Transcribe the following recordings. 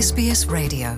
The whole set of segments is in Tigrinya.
S B S Radio.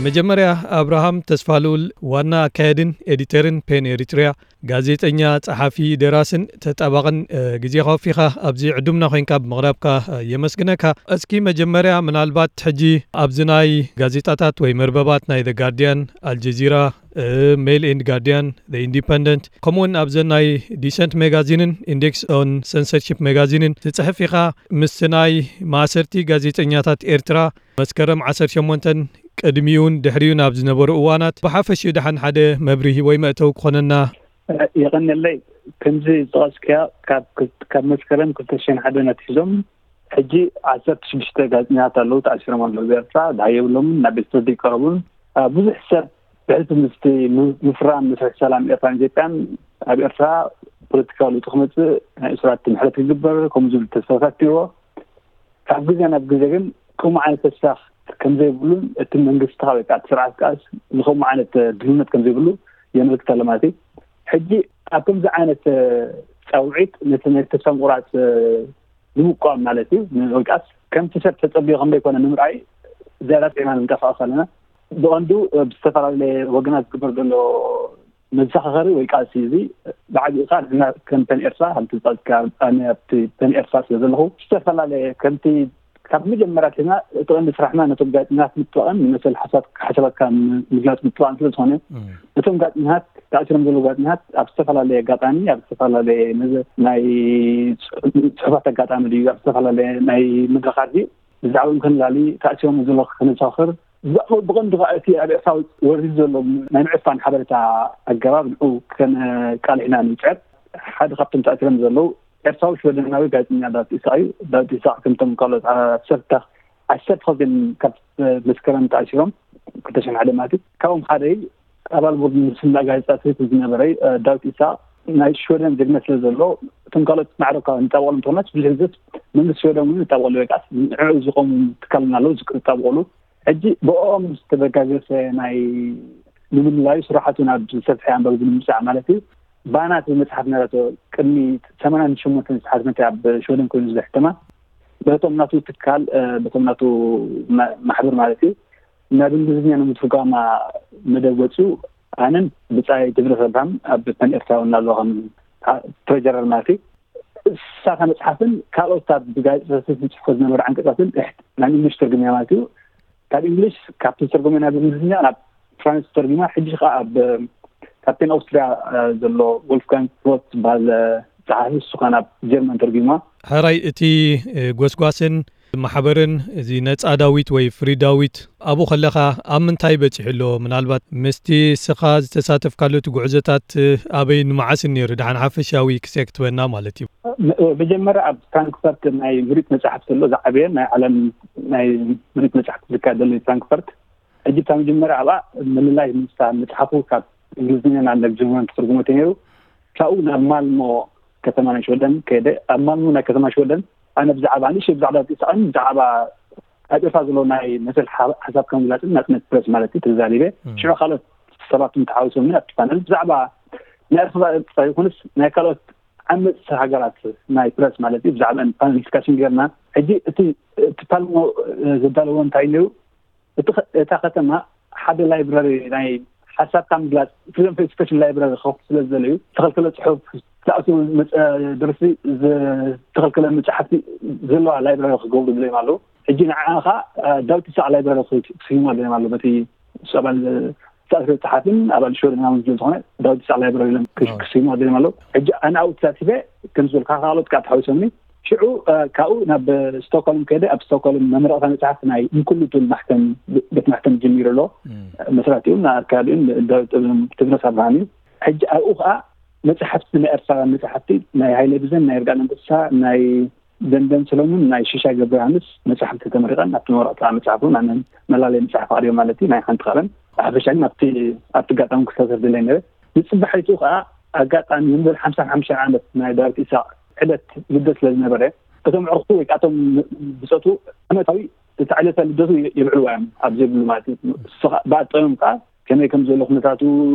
መጀመርያ፣ ኣብርሃም ተስፋልኡል፣ ዋና ኣካየድን ኤዲተርን ፔን ኤሪትሪያ፣ ጋዜጠኛ፣ ጸሓፊ፣ ደራስን ተጣባቕን፣ እ፣ ግዜኻ ወፊኻ ኣብዚ ዕዱምና ኮይንካ ብምቕራብካ፣ እ፣ የመስግነካ። እስኪ መጀመርያ፣ ምናልባት ሕጂ ኣብዚ ናይ ጋዜጣታት ወይ መርበባት ናይ ዘ ጋርዲያን፣ ኣልጀዚራ፣ እ፣ ሜል ኤንድ ጋርዲያን፣ ዘ ኢንዲፐንደንት፣ ከምኡውን ኣብዘን ናይ ዲሰንት ሜጋዚንን ኢንዴክስ ኦን ሰንሰርሺፕ ሜጋዚንን ትጽሕፍ ኢኻ። ምስቲ ናይ ማእሰርቲ ጋዜጠኛታት ኤርትራ መስከረም ዓሰርተ ሸሞንተን ቅድሚኡን ድሕሪኡን ኣብ ዝነበሩ እዋናት ብሓፈሽኡ ደሓን ሓደ መብርሂ ወይ መእተዊ ክኾነና። የቐንየለይ። ከምዚ ዝጠቐስክያ፣ ካብ ክል-፣ ካብ መስከረም ክልተ ሽሕን ሓደን ኣትሒዞም ሕጂ ዓሰርተ ሽዱሽተ ጋዜጠኛታት ኣለዉ፣ ተኣሲሮም ኣለዉ። ብኤርትራ ደሃይ የብሎምን፣ ናብ ቤት ፍርዲ ይቀረቡን። አ፣ ብዙሕ ሰብ ብሕልፊ ምስቲ ም-፣ ምፍራም መስርሕ ሰላም ኤርትራን ኢትዮጵያን ኣብ ኤርትራ ፖለቲካዊ ለውጢ ክመጽእ፣ ናይ እስራት ምሕረት ክግበር፣ ከምኡ ዝብል ተስፋታት ነይርዎ። ካብ ግዜ ናብ ግዜ ግን ከምኡ ዓይነት ተስፋ ከም ዘይብሉን እቲ መንግስቲ ወይ ከዓ እቲ ስርዓት ከኣስ ንከምኡ ዓይነት ድልውነት ከም ዘይብሉ የመልክት ኣሎ ማለት እዩ። ሕጂ ኣብ ከምዚ ዓይነት ጻውዒት ነቲ ናይ ተስፋ ምቁራጽ ንምቋም ማለት እዩ፣ ን-፣ ወይ ከኣስ ከምቲ ሰብ ተጸብዮ ከም ዘይኮነ ንምርኣይ ዝያዳ ጥዒና ንንቀሳቐስ ኣለና። ብቐንዱ ብዝተፈላለየ ወገናት ዝግበር ዘሎ መዘኻኸሪ ወይ ቃልሲ እዚ ብዓቢኡ ከኣ ንሕና ከም ፐን ኤርትራ፣ ከምቲ ዝጠቕስካ፣ ኣነ ኣብቲ ፐን ኤርትራ ስለ ዘለኹ፣ ዝተፈላለየ ከምቲ ካብ መጀመርያ ኣትሒዝና እቲ ቀንዲ ስራሕና ነቶም ጋዜጠኛታት ምጥዋቕን ንመሰል ሓሳብ-፣ ሓሳባትካ ምግላጽ ምጥዋቕን ስለ ዝኾነ፣ እም። እቶም ጋዜጠኛታት፣ ተኣሲሮም ዘለዉ ጋዜጠኛታት ኣብ ዝተፈላለየ ኣጋጣሚ፣ ኣብ ዝተፈላለየ መዘ-፣ ናይ ጽ-፣ ጽሑፋት ኣጋጣሚ ድዩ፣ ኣብ ዝተፈላለየ ናይ መድረኻት ድዩ፣ ብዛዕባኦም ከነላሊ፣ ተኣሲሮም ዘለዉ ከነዘኻኽር፣ ብዛዕባ ብቐንዱ ከኣ እቲ ኣብ ኤርትራ ወሪዱ ዘሎ ናይ ምዕፋን ሓበሬታ ኣገባብ ንዑ ከነቃልሕ ኢና ንጽዕር። ሓደ ካብቶም ተኣሲሮም ዘለዉ ኤርትራዊ ሽወደናዊ ጋዜጠኛ ዳዊት ኢሳቕ እዩ። ዳዊት ኢሳቕ ከምቶም ካልኦት ዓሰርተ፣ ዓሰርተ ክልተ ካብ መስከረም ተኣሲሮም ክልተ ሽሕን ሓደ ማለት እዩ። ካብኦም ሓደ እዩ። ኣባል ቦርድ ምስላ ጋዜጣ ስዊስ ዝነበረ እዩ። ዳዊት ኢሳቕ ናይ ሽወደን ዜግነት ስለ ዘሎ እቶም ካልኦት ማዕረ እኳ ንጣበቐሎም እንተኾናስ ብዙሕ ግዜ መንግስቲ ሽወደን እውን ይጣበቐሉ ወይ ከኣ ንዕኡ ዝቖሙ ትካል ኣለዉ ዝጣበቐሉ። ሕጂ ብኦም ዝተበጋገሰ ናይ ንምልላዩ ስራሓቱ ናብ ዝሰፍሐ ኣንባቢ ብምምጻእ ማለት እዩ። ባና ትብል መጽሓፍ ነረቶ ቅድሚ ሰማንያን ሸሞንተን ዝተሓትመት ኣብ ሽወደን ኮይኑ ዝሕተማ በቶም ናቱ ትካል፣ እ፣ በቶም ናቱ ማ-፣ ማሕበር ማለት እዩ። ናብ እንግሊዝኛ ንምትርጓማ መደብ ወጺኡ ኣነን ብጻይ ትብረስ ኣብርሃም ኣብ ፐን ኤርትራ እውን ኣሎ ከም ትሬጀረር ማለት እዩ። እሳታ መጽሓፍን ካልኦት ኣብ ጋዜጣታት ዝጽሕፎ ዝነበረ ዓንቀጻትን እሕ-፣ ናብ እንግሊሽ ተርጉምያ ማለት እዩ። ካብ እንግሊሽ፣ ካብቲ ዝተርጎመ ናብ እንግሊዝኛ ናብ ፍራንስ ተርጉማ፣ ሕጂ ከኣ ኣብ ካፕቴን ኣውስትርያ፣ እ፣ ዘሎ ወልፍጋንግ ሮት ዝበሃል፣ እ፣ ጸሓፊ፣ እሱ ከኣ ናብ ጀርመን ተርጉማ። ሕራይ እቲ፣ እ፣ ጎስጓስን ማሕበርን እዚ ነጻ ዳዊት ወይ ፍሪ ዳዊት ኣብኡ ከለኻ ኣብ ምንታይ በጺሑ ኣሎ? ምናልባት ምስቲ እስኻ ዝተሳተፍካሉ እቲ ጉዕዞታት ኣበይን መዓስን ነይሩ? ደሓን ሓፈሻዊ ክሴክ ትበና ማለት እዩ። ም-፣ መጀመርያ ኣብ ፍራንክፈርት ናይ ምርኢት መጻሕፍቲ ኣሎ፣ ዝዓበየ ናይ ዓለም ናይ ምርኢት መጻሕፍቲ ዝካየደሉ እዩ ፍራንክፈርት። ሕጂ እታ መጀመርያ ኣብኣ ምልላይ ምስታ መጽሓፉ ካብ እንግሊዝኛ ናብ ጀርመን ተተርጉመቶ ነይሩ። ካብኡ ናብ ማልሞ ከተማ ናይ ሽወደን ከይደ። ኣብ ማልሞ ናይ ከተማ ሽወደን ኣነ ብዛዕባ ንእሽተይ ብዛዕባ ዳዊት ኢሳቕን ብዛዕባ ኣብ ኤርትራ ዘሎ ናይ መሰል ሓ-፣ ሓሳብካ ምግላጽን ናጽነት ፕረስ ማለት እዩ ተዛሪበ። እም። ሽዑ ካልኦት ሰባት እውን ተሓዊሶምኒ ኣብቲ ፓነል ብዛዕባ ናይ ኤርትራ ጥራይ ይኹንስ ናይ ካልኦት ዓመጽቲ ሃገራት ናይ ፕረስ ማለት እዩ ብዛዕባኣን ፓነል ዲስካሽን ጌርና። ሕጂ እቲ፣ እቲ ፓልሞ፣ እ፣ ዘዳለዎ እንታይ ነይሩ? እቲ ኸ-፣ እታ ከተማ ሓደ ላይብረሪ ናይ ሓሳብካ ምግላጽ ፍሪደም ኦፍ ኤክስፕሬሽን ላይብረሪ ክኸፍቱ ስለ ዝደለዩ ዝተኸልከለ ጽሑፍ፣ ዝተኣስሩ መጸ-፣ ደርሲ፣ ዝተኸልከለ መጻሕፍቲ ዘለዋ ላይብረሪ ክገብሩ ድለዮም ኣለዉ። ሕጂ ንዓኣ ኸኣ፣ እ፣ ዳዊት ይስሐቅ ላይብረሪ ክስይሙ ድለዮም ኣለዉ። በቲ ንሱ ኣባል ዝተኣስረ ጸሓፊን ኣባል ሽወደናውን ስለ ዝኾነ ዳዊት ይስሐቅ ላይብረሪ ኢሎም ክስ-፣ ኣዎ። ክስይሙ ድለዮም ኣለዉ። ሕጂ ኣነ ኣብኡ ተሳቲፈ፣ ከም ዝበልካ ካልኦት ከኣ ተሓዊሶምኒ። ሽዑ፣ እ፣ ካብኡ ናብ ስቶክሆልም ከይደ፣ ኣብ ስቶክሆልም መመረቕታ መጽሓፍ ናይ እንኩሉ ትብል ማሕተም፣ ቤት ማሕተም ጀሚሩ ኣሎ። እም። መስራቲኡን ኣካያዲኡን ዳዊት ትብነስ ኣብርሃም እዩ። ሕጂ ኣብኡ ከኣ መጽሓፍቲ ናይ ኤርትራውያን መጽሓፍቲ፣ ናይ ሃይለ ቢዘን፣ ናይ ይርጋለም እንስሳ፣ ናይ ደንደን ሰሎሙን፣ ናይ ሽሻይ ገብረዮሃንስ መጽሓፍቲ ተመሪቐን፣ ኣብቲ መመረቕታ መጽሓፍ እውን ኣነ መላለይ መጽሓፍ ኣቕሪበ ማለት እዩ፣ ናይ ሓንቲ ካልኣን። ብሓፈሻ ግን ኣብቲ፣ ኣብቲ ኣጋጣሚ ክሳተፍ ደለየ ነይረ። ንጽባሒቱ ከኣ ኣጋጣሚ ንበል ሓምሳን ሓሙሽተን ዓመት ናይ ዳዊት ኢሳቕ ዕለት ልደት ስለ ዝነበረ፣ እቶም ዕርክቱ ወይ ከዓ እቶም ብፀቱ ዓመታዊ እቲ ዕለተ ልደቱ የብዕልዋ እዮም ኣብ ዘይብሉ ማለት እዩ። እሱ ከዓ ብኣጠምም ከዓ ከመይ ከም ዘሎ ኩነታቱ፣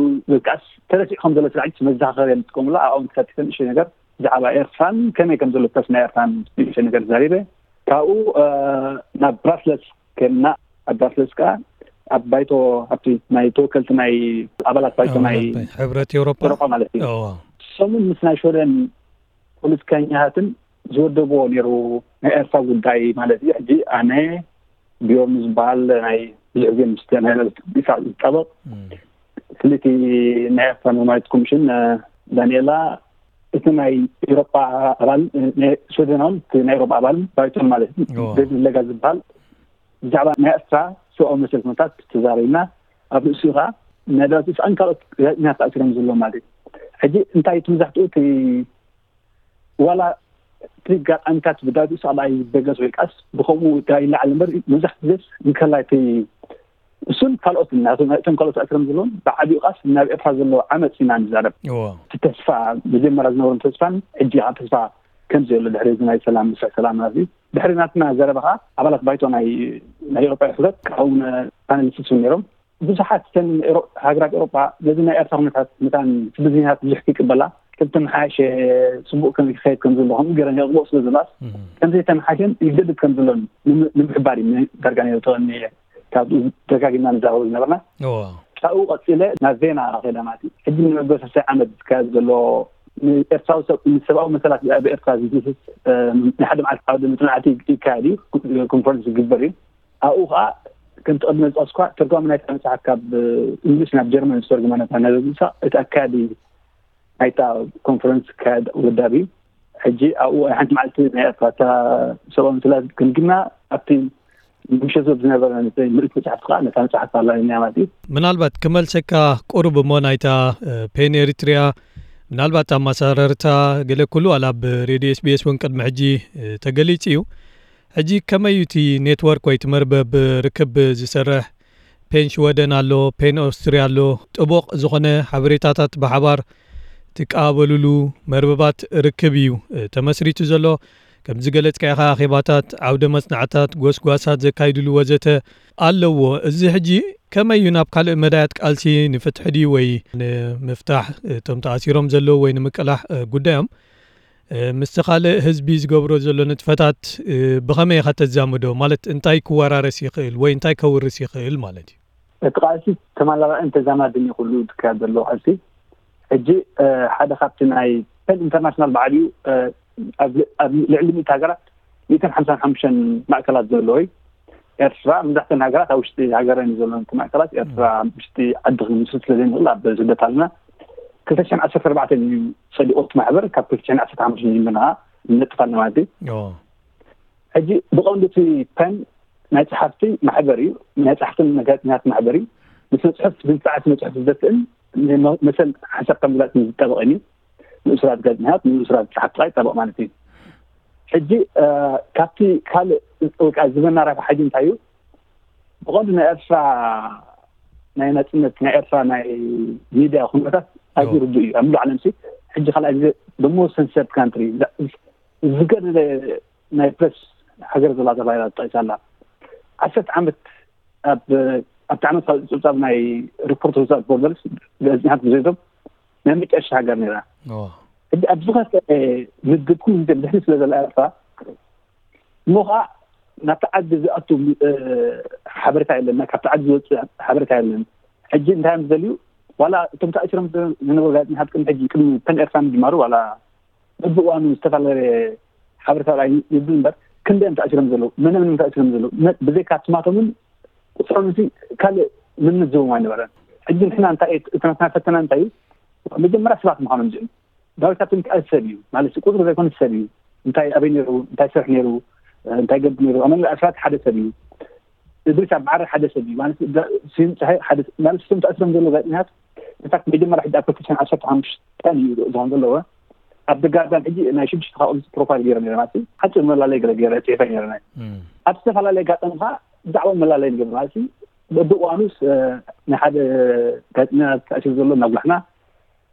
ወይ ከዓስ ተረሲዑ ከም ዘሎ ስራሕቲ መዘኻኸሪ እዮም ዝጥቀሙሉ። ኣብኦም ተሳቲፈ ንእሽተይ ነገር ብዛዕባ ኤርትራን ከመይ ከም ዘሎ ተስ ናይ ኤርትራን ንእሽተይ ነገር ተዛሪበ። ካብኡ ናብ ብራስለስ ከድና፣ ኣብ ብራስለስ ከዓ ኣብ ባይቶ ኣብቲ ናይ ተወከልቲ ናይ ኣባላት ባይቶ ናይ ሕብረት ኤውሮጳ ኤውሮጳ ማለት እዩ። እዎ ሰሙን ምስ ናይ ሽወደን ፖለቲከኛታትን ዝወደብዎ ነይሩ ናይ ኤርትራ ጉዳይ ማለት እዩ። ሕጂ ኣነ ቢዮርን ዝበሃል ናይ ብዙሕ ግዜ ምስ ናይ ቢሳ ዝጣበቕ እም፣ ፍልይቲ ናይ ኤርትራ ኖርማሊት ኮሚሽን ዳንኤላ፣ እቲ ናይ ኤውሮጳ ኣባል ናይ ሽወደናውን እቲ ናይ ኤውሮጳ ኣባል ባይቶን ማለት እዩ እዎ። ዴቪድ ሌጋ ዝበሃል ብዛዕባ ናይ ኤርትራ ሰብኣዊ መሰል ኩነታት ተዛሪብና። ኣብ ርእሲኡ ከዓ ናይ ዳዊት ኢሳቕን ካልኦት ጋዜጠኛታት ተኣሲሮም ዘለዉ ማለት እዩ። ሕጂ እንታይ እቲ መብዛሕትኡ እቲ ዋላ እቲ ጋጣሚታት ብዳዊት ኢሳቕ ደኣ ይበገስ ወይ ቃስ ብከምኡ ዳ ይለዓል እምበር መብዛሕትኡ ግዜስ እንከላይ እቲ እሱን ካልኦት ናቶም እቶም ካልኦት ተኣሲሮም ዘለዎም ብዓቢኡ ቃስ ናብ ኤርትራ ዘሎ ዓመፅ ኢና ንዛረብ። እዎ እቲ ተስፋ መጀመርያ ዝነበሮም ተስፋን ሕጂ ከዓ ተስፋ ከም ዘየሎ ድሕሪ እዚ ናይ ሰላም ምስዕ ሰላም ናዚ ድሕሪ ናትና ዘረባ ከዓ ኣባላት ባይቶ ናይ ናይ ኤውሮጳ ሕብረት ካብኡ ፓነሊስት እውን ነይሮም። ብዙሓት እተን ኤውሮ- ሃገራት ኤውሮጳ ነዚ ናይ ኤርትራ ኩነታት መታን ስደተኛታት ብዙሕ ይቅበላ ከም ተመሓየሸ ጽቡቅ ከም ይኸይድ ከም ዘሎ ከምኡ ገይረን የቕብኦ ስለ ዘለዋስ እም፣ ከምዘይተመሓሸን ይገድድ ከም ዘሎን ንም- ንምሕባር እዩ ዳርጋ ነይሩ ተቐኒ ካብኡ ደጋጊምና ንዛረቡ ዝነበርና። እዎ ካብኡ ቀፂለ ናብ ቬና ከይደ ማለት እዩ። ሕጂ ንመበል ሰለስተ ዓመት ዝካየድ ዘሎ ንኤርትራዊ ሰብ ንሰብኣዊ መሰላት ኣብ ኤርትራ ዝድህስስ ናይ ሓደ መዓልቲ ዓውደ መፅናዕቲ ይካየድ እዩ፣ ኮንፈረንስ ይግበር እዩ። ኣብኡ ከዓ ከምቲ ቅድሚ ዝጠቀስኳ ተርጓሚ ናይታ መፅሓፍ ካብ እንግሊሽ ናብ ጀርመን ዝተርጉማ ነታ ናይ ሳ እቲ ኣካያዲ ናይታ ኮንፈረንስ ክካየድ ውዳብ እዩ። ሕጂ ኣብኡ ናይ ሓንቲ መዓልቲ ናይ ኤርትራ እታ ሰብኣዊ መሰላት ግምግምና ኣብቲ ምሸት ዝነበረ ምእንቲ መፅሓፍቲ ከዓ ነታ መፅሓፍ ኣላሊና ማለት እዩ። ምናልባት ክመልሰካ ቁሩብ እሞ ናይታ ፔን ኤሪትሪያ ምናልባት ኣመሰራርታ ገለ ኩሉ ዋላ ኣብ ሬድዮ ኤስቢኤስ እውን ቅድሚ ሕጂ ተገሊጹ እዩ። ሕጂ ከመይ እዩ እቲ ኔትወርክ ወይ እቲ መርበብ ርክብ ዝሰርሕ? ፔን ሽወደን ኣሎ፣ ፔን ኦስትርያ ኣሎ። ጥቡቕ ዝኾነ ሓበሬታታት ብሓባር ትቀባበሉሉ መርበባት ርክብ እዩ ተመስሪቱ ዘሎ። ከም ዝገለጽካዮ ከኣ ኣኼባታት፣ ዓውደ መጽናዕታት፣ ጎስጓሳት ዘካይድሉ ወዘተ ኣለዎ። እዚ ሕጂ ከመይ እዩ ናብ ካልእ መዳያት ቃልሲ ንፍትሒ ድዩ ወይ ንምፍታሕ እቶም ተኣሲሮም ዘለዉ ወይ ንምቅላሕ ጉዳዮም ምስቲ ካልእ ህዝቢ ዝገብሮ ዘሎ ንጥፈታት ብኸመይ ኢኻ ተዛምዶ? ማለት እንታይ ክወራረስ ይኽእል ወይ እንታይ ከውርስ ይኽእል ማለት እዩ? እቲ ቃልሲ ተመላላእን ተዛማድን እዩ ኩሉ ዝካየድ ዘሎ ቃልሲ። ሕጂ ሓደ ካብቲ ናይ ፔን ኢንተርናሽናል ባዕሉ ኣብ ልዕሊ ሚእቲ ሃገራት ሚእትን ሓምሳን ሓሙሽተን ማእከላት ዘለዎ እዩ። ኤርትራ መብዛሕተን ሃገራት ኣብ ውሽጢ ሃገረን እዩ ዘለውን እቲ ማእከላት። ኤርትራ ኣብ ውሽጢ ዓዲ ክንምስርት ስለ ዘይንኽእል ኣብ ስደት ኣለና። ክልተ ሽሕን ዓሰርተ ኣርባዕተን እዩ ጸዲቑ እቲ ማሕበር። ካብ ክልተ ሽሕን ዓሰርተ ሓሙሽተን ጀሚርና ንነጥፍ ኣለና ማለት እዩ። ሕጂ ብቐንዱ እቲ ፔን ናይ ጸሓፍቲ ማሕበር እዩ። ናይ ጸሓፍትን ጋዜጠኛታት ማሕበር እዩ። ንስነ ጽሑፍ ብንጽዓት ስነ ጽሑፍ ዝደፍእን ንመሰል ሓሳብ ከም ዝላጽን ዝጠበቐን እዩ። ንእሱራት ጋዜጠኛታት ንእሱራት ጸሓፍቲ ጥራይ ይጠበቕ ማለት እዩ። ሕጂ ካብቲ ካልእ ወይ ከዓ ዝበና ረብሓ ሕጂ እንታይ እዩ? ብቐንዱ ናይ ኤርትራ ናይ ናጽነት ናይ ኤርትራ ናይ ሚድያ ኩነታት ኣዝዩ ርዱእ እዩ። ኣብ ሙሉእ ዓለም ሲ ሕጂ ካልኣይ ግዜ ደሞ ሰንሰርድ ካንትሪ ዝገደደ ናይ ፕረስ ሃገር ዘላ ተባሂላ ተጠቂሳ ኣላ። ዓሰርተ ዓመት ኣብ ኣብቲ ዓመት ካብ ጸብጻብ ናይ ሪፖርተርስ ዊዛውት ቦርደርስ ጋዜጠኛታት ብዘይቶም ናይ መጨረሻ ሃገር ነይራ። ሕጂ ኣብ ዝኸፍአ ምድብ ኩሉ ግዜ ብድሕሪ ስለ ዘላ ኤርትራ እሞ ከዓ ናብቲ ዓዲ ዝኣቱ ሓበሬታ የለን፣ ካብቲ ዓዲ ዝወፅእ ሓበሬታ የለን። ሕጂ እንታይ እዮም ዝደልዩ? ዋላ እቶም ተኣሲሮም ዝነበሩ ጋዜጠኛታት ቅድሚ ሕጂ ቅድሚ ፔን ኤርትራ ምጅማሩ ዋላ በብእዋኑ ዝተፈላለየ ሓበሬታ ርኣይ ይብል እምበር ክንደይ እዮም ተኣሲሮም ዘለዉ፣ መን እዮም ተኣሲሮም ዘለዉ ብዘይካ ትማቶምን ቁፅሮም ካልእ ምምዝቦም ኣይነበረን። ሕጂ ንሕና እንታይ እቲ ናትና ፈተና እንታይ እዩ? መጀመርያ ሰባት ምዃኖም እዚኦም ዳዊት ካብቶም እንታይ ሰብ እዩ ማለት ቁፅሪ ዘይኮነ ሰብ እዩ። እንታይ ኣበይ ነይሩ፣ እንታይ ሰርሕ ነይሩ፣ እንታይ ገብር ነይሩ። ኣመል ኣስራት ሓደ ሰብ እዩ። እድሪስ ኣብ ዓረ ሓደ ሰብ እዩ ማለት ስዩም ፀሃይ ሓደ ማለት ስም ተኣስሮም ዘሎ ጋዜጠኛታት ንሳት መጀመርያ ሕጂ ኣብ ክልተ ሽሕን ዓሰርተ ሓሙሽተን እዩ ዝኾን ዘለዎ። ኣብ ደጋዳን ሕጂ ናይ ሽዱሽተ ካብኦም ፕሮፋይል ገይረ ነረ ማለት ሓፂር መላለይ ገለ ገይረ ፅሒፈ ነረ ናይ ኣብ ዝተፈላለየ ኣጋጣሚ ከዓ ብዛዕባ መላለይ ንገብር ማለት በብእዋኑስ ናይ ሓደ ጋዜጠኛ ተኣሲሩ ዘሎ እናጉላሕና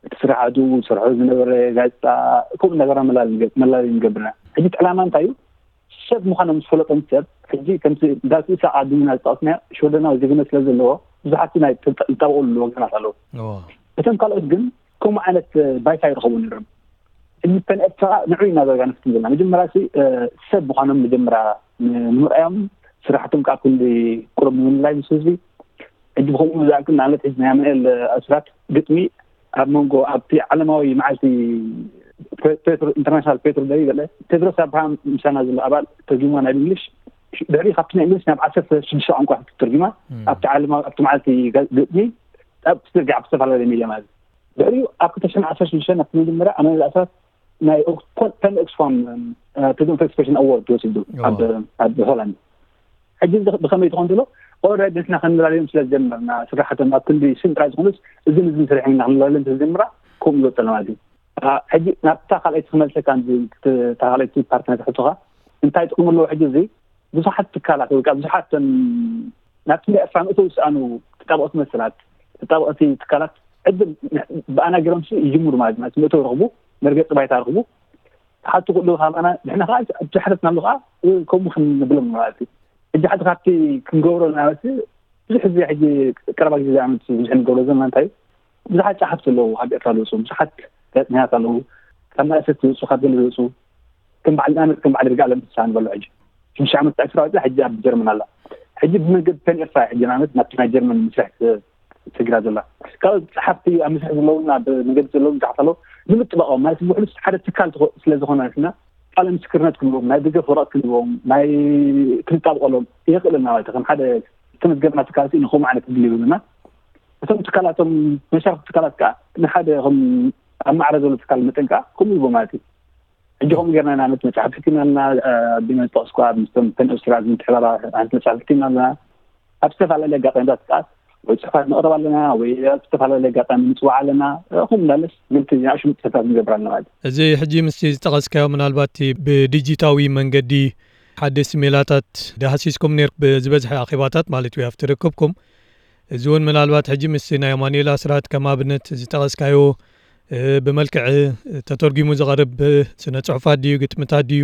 እቲ ስራሕቱ ዝሰርሖ ዝነበረ ጋዜጣ ከምኡ እናገርና መላለይ ንገብርና። ሕጂ ዕላማ እንታይ እዩ? ሰብ ምዃኖም ዝፈለጦም ሰብ፣ ሕጂ ከምቲ ዳዊት ኢሳቅ ኣዱኛ ዝጠቐስናዮ ሽወደናዊ ዜግነት ስለ ዘለዎ፣ ብዙሓት ናይ ተጣ-፣ ዝጣበቑሉ ወገናት ኣለዉ። እዎ። እቶም ካልኦት ግን ከምኡ ዓይነት ባይታ ይረኸቡ ነይሮም። ሕጂ ፐን ኤርትራ ንዑ ኢና ዳርጋ ንፍትን ዘለና። መጀመርያ ሲ፣ እ፣ ሰብ ምዃኖም መጀመርያ ንምርኣዮም፣ ስራሕቶም ከዓ ክንዲ ቁሩብ ንምልላይ ምስ ህዝቢ። ሕጂ ብኸምኡ ዝኣክል ንኣብነት ሕጂ ናይ ኣማኑኤል ኣስራት ግጥሚ ኣብ መንጎ ኣብቲ ዓለማዊ መዓልቲ ፔ-፣ ፔትሮ፣ ኢንተርናሽናል ፔትሮ ደይ ገለ ቴድሮስ ኣብርሃም ምሳና ዘሎ ኣባል ተርጊማ ናብ እንግሊሽ። ድሕሪ ካብቲ ናይ እንግሊሽ ናብ ዓሰርተ ሽዱሽተ ቋንቋ ተርጊማ እም። ኣብቲ ዓለማዊ፣ ኣብቲ መዓልቲ ገ-፣ ግጥሚ ኣብ ትርጋ ኣብ ዝተፈላለዩ ሚድያ ማለት እዩ። ድሕሪኡ ኣብ ክልተ ሽሕን ዓሰርተ ሽዱሽተን ኣብቲ መጀመርያ ኣማኑኤል ኣስራት ናይ ኦክስፎ-፣ ፓን ኦክስፋም፣ እ፣ ፍሪደም ኦፍ ኤክስፕሬሽን ኣዋርድ ወሲዱ እዎ። ኣብ፣ ኣብ ሆላንድ። ሕጂ እዚ ብኸመይ ትኾን ትብሎ? ኦልሬዲ ንሕና ከንላለዮም ስለ ዝጀመርና፣ ስራሕቶም ኣብ ክንዲ ስም ጥራይ ዝኾኑስ፣ እዝን እዝን ሰሪሖም ኢና ክንላለዮም ስለ ዝጀምራ፣ ከምኡ ይወፀና ማለት እዩ። አ፣ ሕጂ ናብታ ካልኣይቲ ክመልሰካ፣ እንዚ፣ እታ ካልኣይቲ ፓርት ናይ ትሕቶኻ፣ እንታይ ጥቕሚ ኣለዎ? ሕጂ እዚ ብዙሓት ትካላት ወይ ከዓ ብዙሓት፣ እም፣ ናብቲ ናይ ኤርትራ ምእተው ዝሰኣኑ ተጣበቕቲ መሰላት፣ ተጣበቕቲ ትካላት ዕድል ን-፣ ብኣና ገይሮም ሲ ይጅምሩ ማለት እዩ። ምእተው ረኽቡ፣ መርገፂ ባይታ ረኽቡ፣ ተሓቱ ክእለዉ ካብ ኣና፣ ንሕና ከዓ ኣብቲ ሓተትናሉ ከዓ፣ እ፣ ከምኡ ክንብሎም ማለት እዩ። ሕጂ ሓደ ካብቲ ክንገብሮ ማለት እዩ፣ ብዙሕ ግዜ ሕጂ ቀረባ ግዜ ዝኣመት ብዙሕ ንገብሮ ዘለና እንታይ እዩ? ብዙሓት ጸሓፍቲ ኣለዉ ኣብ ኤርትራ ዝወጹ፣ ብዙሓት ጋዜጠኛታት ኣለዉ፣ ካብ ማእሰርቲ ዝወጹ፣ ካብ ገለ ዝወጹ፣ ከም በዓል ንኣብነት ከም በዓል ይርጋለም ፍስሃ ንበሎ ሕጂ ሽዱሽተ ዓመት ተኣሲሩ ኣውጺኣ ሕጂ ኣብ ጀርመን ኣላ። ሕጂ ብመንገዲ ፔን ኤርትራ ሕጂ ንኣብነት ናብቲ ናይ ጀርመን መስርሕ ተ-፣ ተሰጊራ ዘላ። ካልኦት ጸሓፍቲ ኣብ መስርሕ ዘለዉን ኣብ መገዲ ዘለዉን ብዙሓት ኣለዉ። ንምጥባቖም ማለት ውሕሉስ ሓደ ትካል ትኾ-፣ ስለ ዝኾነ ንሕና ቃለ ምስክርነት ክንህቦም፣ ናይ ደገፍ ወረቐት ክንህቦም፣ ናይ ክንጣብቐሎም የኽእለና ማለት እዩ። ከም ሓደ ዝተመዝገብና ትካል ንኸምኡ ዓይነት ዕድል ይህቡና። እቶም ትካላቶም መሻርክቲ ትካላት ከኣ ንሓደ ከም ኣብ ማዕረ ዘሎ ትካል መጠን ከኣ ከምኡ ይህቦ ማለት እዩ። ሕጂ ከምኡ ጌርና ኢና ነቲ መጽሓፍ ሕቲምናልና፣ እ፣ ኣቢና ዝጠቐስኳ ምስቶም ፔን ኦስትራ ምትሕባራ ሓንቲ መጽሓፍ ሕቲምናልና። ኣብ ዝተፈላለየ ኣጋጣሚታት ከኣ ወይ ጽሑፋት ነቕርብ ኣለና ወይ ኣብ ዝተፈላለየ ኣጋጣሚ ንጽዋዕ ኣለና። እ፣ ከምኡ እንዳለስ ግልቲ ናእሽቱ ምጥፍታት ንገብር ኣለና ማለት እዩ። እዚ ሕጂ ምስቲ ዝጠቐስካዮ ምናልባት እቲ ብዲጂታዊ መንገዲ ሓደስቲ ሜላታት ዳህሲስኩም ነይር-፣ ብዝበዝሐ ኣኼባታት ማለት እዩ ኣብቲ ርክብኩም። እዚ እውን ምናልባት ሕጂ ምስቲ ናይ ኣማኑኤል ኣስራት ከም ኣብነት ዝጠቐስካዮ፣ እ፣ ብመልክዕ ተተርጒሙ ዝቐርብ ስነ ጽሑፋት ድዩ፣ ግጥምታት ድዩ፣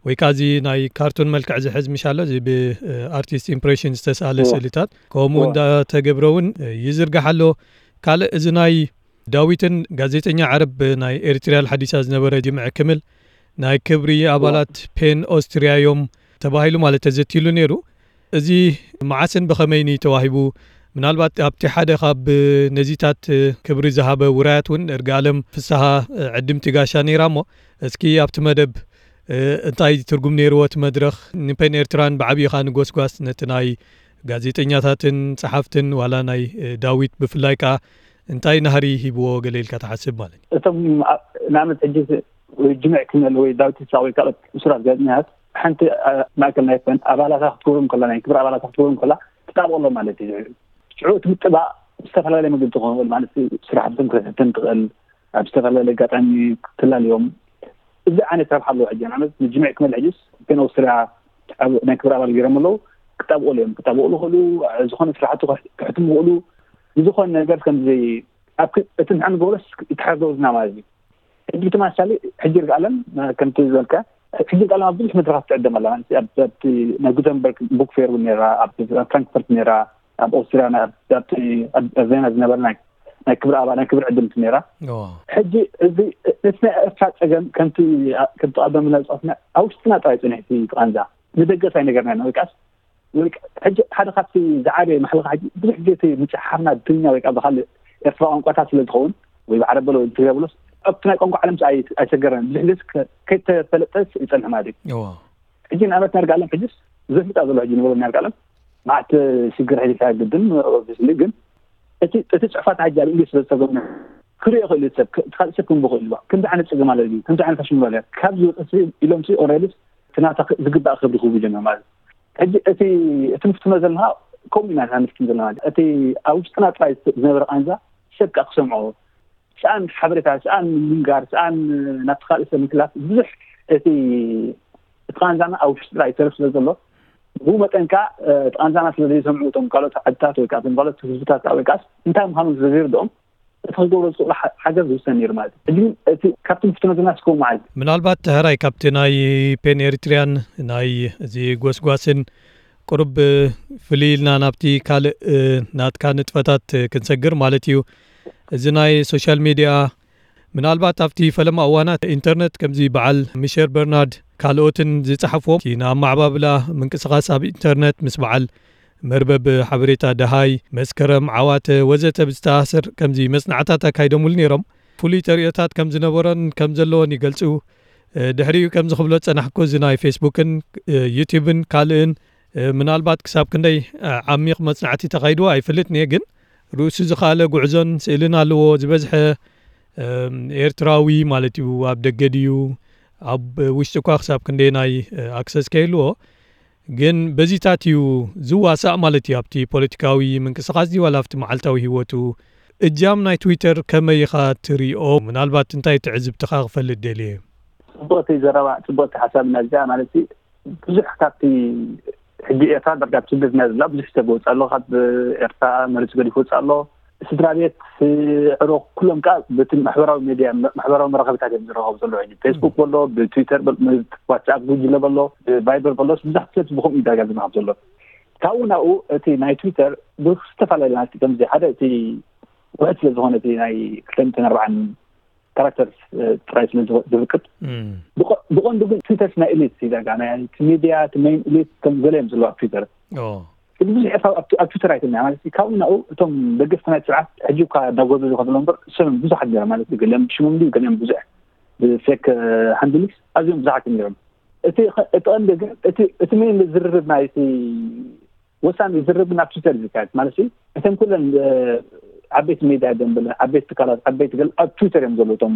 ወይ ከኣ እዚ ናይ ካርቱን መልክዕ ዝሕዝ ምሽ ኣሎ፣ እዚ ብ-፣ እ፣ ኣርቲስት ኢምፕሬሽን ዝተሳእለ እዎ። ስእልታት፣ ከምኡ እዎ። እንዳተገብረ እውን ይዝርጋሕ ኣሎ። ካልእ እዚ ናይ ዳዊትን ጋዜጠኛ ዓረብ ናይ ኤሪትሪያል ሓዲሳ ዝነበረ ጅምዒ ክምል ናይ ክብሪ እዎ። ኣባላት ፔን ኦስትሪያ እዮም ተባሂሉ ማለት ተዘትይሉ ነይሩ። እዚ መዓስን ብኸመይን እዩ ተዋሂቡ? ምናልባት ኣብቲ ሓደ ካብ ነዚታት ክብሪ ዝሃበ ውራያት እውን እርጋለም ፍስሃ ዕድምቲ ጋሻ ነይራ እሞ፣ እስኪ ኣብቲ መደብ እንታይ ትርጉም ነይርዎ እቲ መድረኽ? ንፔን ኤርትራን ብዓብዪ ኸኣ ንጎስጓስ ነቲ ናይ ጋዜጠኛታትን ጸሓፍትን ዋላ ናይ ዳዊት ብፍላይ ከኣ እንታይ ናህሪ ሂብዎ ገለ ኢልካ ትሓስብ ማለት እዩ? እቶም ኣ-፣ ንኣብነት ሕጂ ወይ ጅምዕ ክመል ወይ ዳዊት ይስሐቅ ወይ ካልኦት እሱራት ጋዜጠኛታት ሓንቲ፣ ኣ፣ ማእከል ናይ ፈን ኣባላታ ክትገብሮም ከላ፣ ናይ ክብሪ ኣባላታ ክትገብሮም ከላ ትጣብቐሎም ማለት እዩ። ሽዑ እቲ ምጥባቕ ብዝተፈላለየ መገዲ ክኸውን ማለት እዩ። ስራሕቶም ክትሕተም ትኽእል፣ ኣብ ዝተፈላለየ ኣጋጣሚ ክትላለዮም፣ እዚ ዓይነት ረብሓ ኣለዎ። ሕጂ ንኣብነት ንጅምዕ ክመል ሕጅስ ፔን ኣውስትርያ ኣብ ናይ ክብሪ ኣባል ገይሮም ኣለዉ። ክጣብቑሉ እዮም፣ ክጣብቑሉ ይኽእሉ፣ ዝኾነ ስራሕቱ ክሕ-፣ ክሕትሙ ይኽእሉ። ንዝኾነ ነገር ከምዚ ኣብ ክ-፣ እቲ ንሕና ንገብሮስ ይተሓጋገዝና ማለት እዩ። ሕጂ ብተመሳሳሊ ሕጂ ይርጋለም፣ እ፣ ከምቲ ዝበልካ፣ ሕጂ ይርጋለም ኣብ ብዙሕ መድረኻት ትዕደም ኣላ። ማለት ኣብ፣ ኣብቲ ናይ ጉተንበርግ ቡክ ፌር እውን ነይራ፣ ኣብ፣ ኣብ ፍራንክፈርት ነይራ፣ ኣብ ኦስትርያ፣ ናይ፣ ኣብ፣ ኣብቲ፣ ኣብ፣ ኣብ ቬና ዝነበረ ናይ፣ ናይ ክብሪ ኣባል፣ ናይ ክብሪ ዕድምቲ ነይራ። እዎ። ሕጂ እዚ፣ እቲ ናይ ኤርትራ ጸገም ከምቲ፣ ከምቲ ቀደም ኢልና ዝጠቐስና፣ ኣብ ውሽጥና ጥራይ ጽኒሑ እቲ ቃንዛ። ንደገስ ኣይነገርናን፣ ወይ ከኣስ ወይ ከ-፣ ሕጂ ሓደ ካብቲ ዝዓበየ ማሕለኻ ሕጂ ብዙሕ ግዜ እቲ ምጭሕሓርና ብትግርኛ ወይ ከዓ ብኻልእ ኤርትራ ቋንቋታት ስለ ዝኸውን፣ ወይ ብዓረብ በሎ ወይ ብትግርኛ በሎስ፣ ኣብቲ ናይ ቋንቋ ዓለም ኣይ-፣ ኣይሰገረን። ብዙሕ ግዜ ከ-፣ ከይተፈለጠስ ይጸንሕ ማለት እዩ። እዎ። ሕጂ ንኣብነት ናይ ይርጋለም ሕጅስ ዘፍልጣ ዘሎ ሕጂ ንበሎ ናይ ይርጋለም መዓት ሽግር ሕጂ ግድን ኦብቪስሊ፣ ግን እቲ፣ እቲ ጽሑፋት ሕጂ ኣብ እንግሊዝ ስለ ዝተርጎመ ክርእዮ ይኽእል እዩ ሰብ፣ ክ-፣ እቲ ካልእ ሰብ ክንብቦ ይኽእል እዩ። ከምዚ ዓይነት ጸገም ኣሎ እዩ፣ ከምዚ ዓይነት ኣሽሙር ኣሎ እዩ። ካብዚ ወፅሲ ኢሎም ሲ ኦልሬዲ እቲ ናታ ክ-፣ ዝግባእ ክብሪ ክህቡ ጀመር ማለት እዩ። ሕጂ እቲ፣ እቲ ንፍትኖ ዘለና ከምኡ ኢና ንፍትን ዘለና ማለት እዩ። እቲ ኣብ ውሽጥና ጥራይ ዝነበረ ቃንዛ ሰብ ከኣ ክሰምዖ፣ ሰኣን ሓበሬታ፣ ሰኣን ምንጋር፣ ሰኣን ናብቲ ካልእ ሰብ ምትላፍ ብዙሕ እቲ፣ እቲ ቃንዛና ኣብ ውሽጥና ይተርፍ ስለ ዘሎ፣ ብኡ መጠን ከኣ፣ እ፣ እቲ ቃንዛና ስለ ዘይሰምዑ እቶም ካልኦት ዓድታት ወይ ከኣ እቶም ካልኦት ህዝብታት ከኣ ወይ ከኣስ እንታይ ምዃኑ ስለ ዘይርድኦም፣ እቲ ክገብሮ ዝኽእሉ ሓ- ሓገዝ ዝውሰን ነይሩ ማለት እዩ። ሕጂ ግን እቲ ካብቲ ንፍትኖ ዘለና እስከ መዓል ምናልባት ተህራይ ካብቲ ናይ ፔን ኤሪትሪያን ናይ እዚ ጎስጓስን ቁሩብ ፍልይ ኢልና ናብቲ ካልእ ናትካ ንጥፈታት ክንሰግር ማለት እዩ። እዚ ናይ ሶሻል ሚድያ ምናልባት ኣብቲ ፈለማ እዋናት ኢንተርነት ከምዚ በዓል ሚሸር በርናርድ ካልኦትን ዝጸሓፍዎም እቲ ንኣመዓባብላ ምንቅስቓስ ኣብ ኢንተርነት ምስ በዓል መርበብ ሓበሬታ ደሃይ መስከረም ዓዋተ ወዘተ ብዝተኣሳሰር ከምዚ መጽናዕታት ኣካይዶምሉ ነይሮም። ፍሉይ ተርእዮታት ከም ዝነበሮን ከም ዘለዎን ይገልጹ። ድሕሪኡ ከምዚ ክብሎ ዝጸናሕኩ እዚ ናይ ፌስቡክን ዩቲብን ካልእን ምናልባት ክሳብ ክንደይ ዓሚቕ መጽናዕቲ ተኻይድዎ ኣይፈልጥን እየ፣ ግን ርእሱ ዝኸኣለ ጉዕዞን ስእልን ኣለዎ። ዝበዝሐ ኤርትራዊ ማለት እዩ ኣብ ደገ ድዩ ኣብ ውሽጢ እኳ ክሳብ ክንደየናይ ኣክሰስ ከይህልዎ፣ ግን በዚታት እዩ ዝዋሳእ ማለት እዩ ኣብቲ ፖለቲካዊ ምንቅስቃስ ድዩ ዋላ ኣብቲ መዓልታዊ ህይወቱ። እጃም ናይ ትዊተር ከመይ ኢኻ ትሪኦ? ምናልባት እንታይ ትዕዝብትኻ ክፈልጥ ደልየ። ጽቡቕቲ ዘረባ፣ ጽቡቕቲ ሓሳብ እና እዚኣ ማለት ብዙሕ ካብቲ ሕጂ ኤርትራ ዳርጋ ኣብ ስደት ናይ ዘላ ብዙሕ ሰብ ወጽእ ኣሎ፣ ካብ ኤርትራ መሬቱ ገዲፉ ወጽእ ኣሎ። ስድራ ቤት፣ ዕሮ፣ ኩሎም ከኣ በቲ ማሕበራዊ ሜድያ፣ ማሕበራዊ መራኸቢታት እዮም ዝራኸቡ ዘለዉ። ሕጂ ፌስቡክ በሎ፣ ብትዊተር በሎ፣ ዋትስኣፕ ጉጅለ በሎ፣ ብቫይበር በሎ፣ ብዙሕ ሰብ ብኸምኡ እዩ ዳርጋ ዝራኸብ ዘሎ። ካብኡ ናብኡ እቲ ናይ ትዊተር ብዝተፈላለዩ ናቲ ከምዚ ሓደ እቲ ውሕድ ስለ ዝኾነ እቲ ናይ ክልተ ሚእትን ኣርባዓን ካራክተርስ ጥራይ ስለ ዝፍቅድ፣ ብቐንዱ ግን ትዊተርስ ናይ ኤሊት እዩ ዳርጋ ናይ እቲ ሚድያ እቲ ሜይን ኤሊት ከም ገለ እዮም ዘለዉ ኣብ ትዊተር። ብዙሕ ኤርትራዊ ኣብ ትዊተር ኣይትምያ ማለት እዩ። ካብኡ ናብኡ እቶም ደገፍቲ ናይ ስርዓት ሕጂ እኳ እንዳጎበዙ ከድሎ እምበር እሶም ብዙሓት ገለ ማለት እዩ። ገሊኦም ሽሞም ድዩ ገሊኦም ብዙሕ ብፌክ ሃንድልስ ኣዝዮም ብዙሓት እዮም ነይሮም። እቲ እቲ ቀንዲ ግን እቲ እቲ ሜይን ዝርርብ ናይ እቲ ወሳኒ ዝርርብ ናብ ትዊተር እዩ ዝካየድ ማለት እዩ። እተን ኩለን ዓበይቲ ሜድያ ደንበለ ዓበይቲ ትካላት ዓበይቲ ገለ ኣብ ትዊተር እዮም ዘለዉ እቶም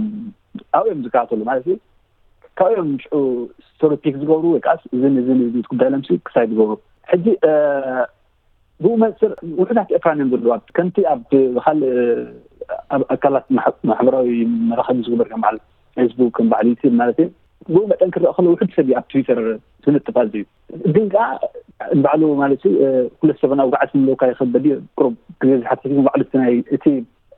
ኣብኡ እዮም ዝከታተሉ ማለት እዩ። ካብኡ እዮም ሽዑ ስቶሪ ፒክ ዝገብሩ ወይ ከዓስ እዝን እዝን እዝን ጉዳይ ለምሲ ክሳይ ዝገብሩ። ሕጂ ብኡ መንፅር ውሕዳት ኤርትራን እዮም ዘለዋ ከምቲ ኣብ ካልእ ኣብ ኣካላት ማሕበራዊ መራኸቢ ዝግበር ከም በዓል ፌስቡክ ከም በዓል ዩቲብ ማለት እዩ። ብኡ መጠን ክረአ ከሎ ውሕድ ሰብ እዩ ኣብ ትዊተር ዝንጥፍ ኣዝዩ ግን ከዓ ንባዕሉ ማለት እዩ። ኩለት ሰብ ናብ ውግዓት ክምለካ ይኽእል በዲ ቁሩብ ግዜ ዝሓትት ግን ባዕሉ እቲ ናይ እቲ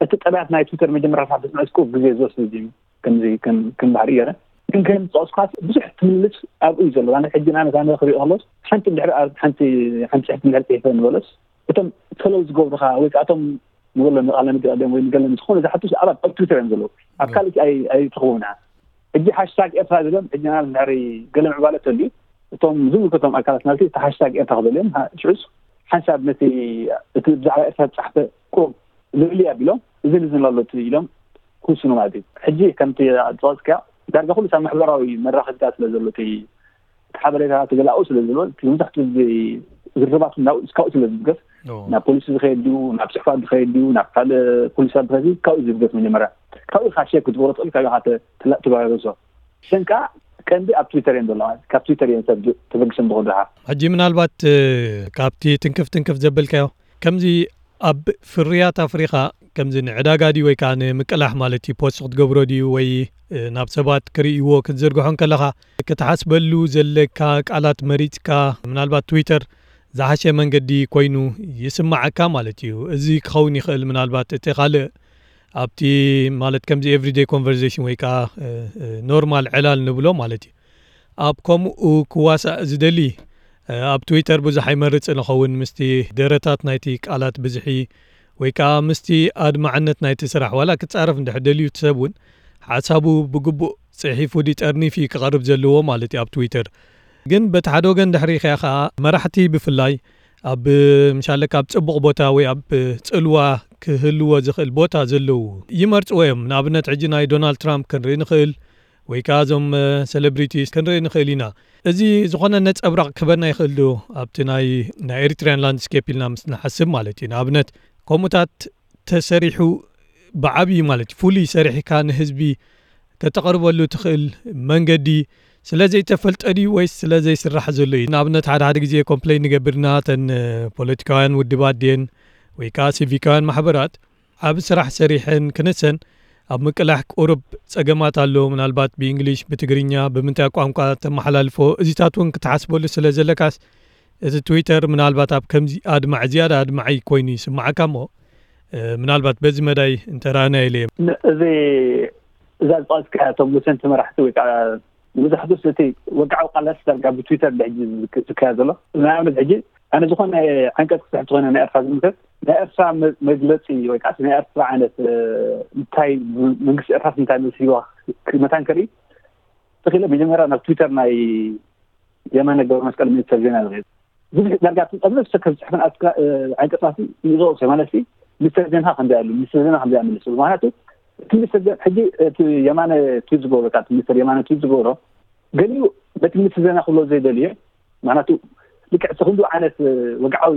እቲ ጠባያት ናይ ትዊተር መጀመርያ ካብ ትስምዐ ቁሩብ ግዜ ዝወስድ እዩ። ከምዚ ከም ከም ባህሪ ገረ ግን ከም ዝጠቀስኳት ብዙሕ ትምልስ ኣብኡ እዩ ዘሎ። ኣነ ሕጂ ንኣብነት ኣነ ክሪኦ ከሎስ ሓንቲ እንድሕር ኣብ ሓንቲ ሓንቲ ጽሕፍቲ እንድሕር ጽሒፈ ንበሎስ እቶም ፈለው ዝገብሩኻ ወይ ከዓ እቶም ንበሎ ንቃለ መግቢኦም ወይ ንገለ ዝኾነ ዝሓቱ ኣባት ኣብ ትዊተር እዮም ዘለዉ። ኣብ ካልእ ኣይ ኣይትኸውን እያ። ሕጂ ሃሽታግ ኤርትራ ዝብሎም ሕጂ ንኣብነት እንድሕር ገለ ምዕባለ ተልዩ እቶም ዝምልከቶም ኣካላት ማለት እቲ ሃሽታግ ኤርትራ ክበልዮም ሽዑስ ሓንሳብ ነቲ እቲ ብዛዕባ ኤርትራ ዝጸሓፈ ቁሩብ ልዕሊ ኣቢሎም እዝን እዝን ኣሎ ኢሎም ክውስኑ ማለት እዩ። ሕጂ ከምቲ ዝጠቐስካዮ ዳርጋ ኩሉ ኣብ ማሕበራዊ መራኸቢታት ስለ ዘሎ እቲ ሓበሬታ ተገላኡ ስለ ዝብል መብዛሕትኡ ግዜ ዝርርባት ናብኡ ስካብኡ ስለ ዝብገስ ናብ ፖሊሲ ዝኸየድ ድዩ ናብ ጽሕፋት ዝኸየድ ድዩ ናብ ካልእ ፖሊሲታት ዝኸየድ ካብኡ ዝብገስ መጀመርያ ካብኡ ኢኻ ሸክ ክትገብሮ ትኽእል ካብ ኢኻ ትባረሶ። ሰንካ ቀንዲ ኣብ ትዊተር እየን ዘለዋ። ካብ ትዊተር እየን ሰብ ተበግሰን ዝኸዱ ድሓር። ሕጂ ምናልባት ካብቲ ትንክፍ ትንክፍ ዘበልካዮ ከምዚ ኣብ ፍርያት ኣፍሪኻ ከምዚ ንዕዳጋ ድዩ ወይ ከዓ ንምቅላሕ ማለት እዩ ፖስት ክትገብሮ ድዩ ወይ ናብ ሰባት ክርእይዎ ክትዝርግሖ ከለኻ ክትሓስበሉ ዘለካ ቃላት መሪፅካ ምናልባት ትዊተር ዝሓሸ መንገዲ ኮይኑ ይስማዓካ ማለት እዩ። እዚ ክኸውን ይኽእል ምናልባት እቲ ካልእ ኣብቲ ማለት ከምዚ ኤቭሪደይ ኮንቨርሴሽን ወይ ከዓ ኖርማል ዕላል ንብሎ ማለት እዩ። ኣብ ከምኡ ክዋሳእ ዝደሊ ኣብ ትዊተር ብዙሕ ኣይመርጽን እኸውን ምስቲ ደረታት ናይቲ ቃላት ብዝሒ ወይ ከዓ ምስቲ ኣድማዕነት ናይቲ ስራሕ ዋላ ክጻረፍ እንድሕር ደልዩ እቲ ሰብ እውን ሓሳቡ ብግቡእ ጽሒፉ ድዩ ጠርኒፉ እዩ ክቐርብ ዘለዎ ማለት እዩ ኣብ ትዊተር። ግን በቲ ሓደ ወገን ድሕሪ ሪኢኻዮ ከዓ መራሕቲ ብፍላይ ኣብ ምሻለካ ኣብ ጽቡቕ ቦታ ወይ ኣብ ጽልዋ ክህልዎ ዝኽእል ቦታ ዘለዉ ይመርጽዎ እዮም። ንኣብነት ሕጂ ናይ ዶናልድ ትራምፕ ክንርኢ ንኽእል ወይ ከዓ እዞም ሴሌብሪቲስ ክንርኢ ንኽእል ኢና። እዚ ዝኾነ ነጸብራቕ ክህበና ይኽእል ዶ ኣብቲ ናይ ናይ ኤሪትሪያን ላንድስኬፕ ኢልና ምስ ንሓስብ ማለት እዩ። ንኣብነት ከምኡታት ተሰሪሑ ብዓብዪ ማለት እዩ ፍሉይ ሰሪሕካ ንህዝቢ ከተቕርበሉ ትኽእል መንገዲ ስለ ዘይተፈልጠ ድዩ ወይስ ስለ ዘይስራሕ ዘሎ እዩ? ንኣብነት ሓደ ሓደ ግዜ ኮምፕሌን ንገብርና እተን ፖለቲካውያን ውድባት ድየን ወይ ከዓ ሲቪካውያን ማሕበራት ዓቢ ስራሕ ሰሪሐን ክንሰን ኣብ ምቅላሕ ቁሩብ ጸገማት ኣሎ። ምናልባት ብእንግሊሽ፣ ብትግርኛ፣ ብምንታይ ቋንቋ ተመሓላልፎ እዚታት እውን ክትሓስበሉ ስለ ዘለካስ እቲ ትዊተር ምናልባት ኣብ ከምዚ ኣድማዒ ዝያዳ ኣድማዒ ኮይኑ ይስምዓካ እሞ ምናልባት በዚ መዳይ እንተራእና ኢለ። እዚ እዛ ዝጠቀስካ እቶም ወሰንቲ መራሕቲ ወይ ከዓ መብዛሕትኡ እቲ ወግዓዊ ቃላት ዳርጋ ብትዊተር ድሕጂ ዝካየድ ዘሎ። ንኣብነት ሕጂ ኣነ ዝኾነ ዓንቀፅ ክፅሕፍ ዝኾነ ናይ ኤርትራ ዝምልከት ናይ ኤርትራ መግለፂ ወይ ከዓ ናይ ኤርትራ ዓይነት እንታይ መንግስቲ ኤርትራ እንታይ መሲልዋ መታን ከርኢ ተኽኢለ መጀመርያ ናብ ትዊተር ናይ የማነ ገብረ መስቀል ሚኒስተር ዜና ዝኸይድ ብዙሕ ዳርጋ ኣብዚ ሰብ ከም ዝፅሕፈን ዓንቀፃት ይዘቕሶ ማለት ሚኒስተር ዜና ከምዚ ኣሉ ሚኒስተር ዜና ከምዚ ኣምልስ ምክንያቱ እቲ ሚኒስተር ዜና ሕጂ እቲ የማነ ትዊት ዝገብሮ ካብ ሚኒስተር የማነ ትዊት ዝገብሮ ገሊኡ በቲ ሚኒስተር ዜና ክብሎ ዘይደልዮ ምክንያቱ ልክዕ እቲ ክንዱ ዓይነት ወግዓዊ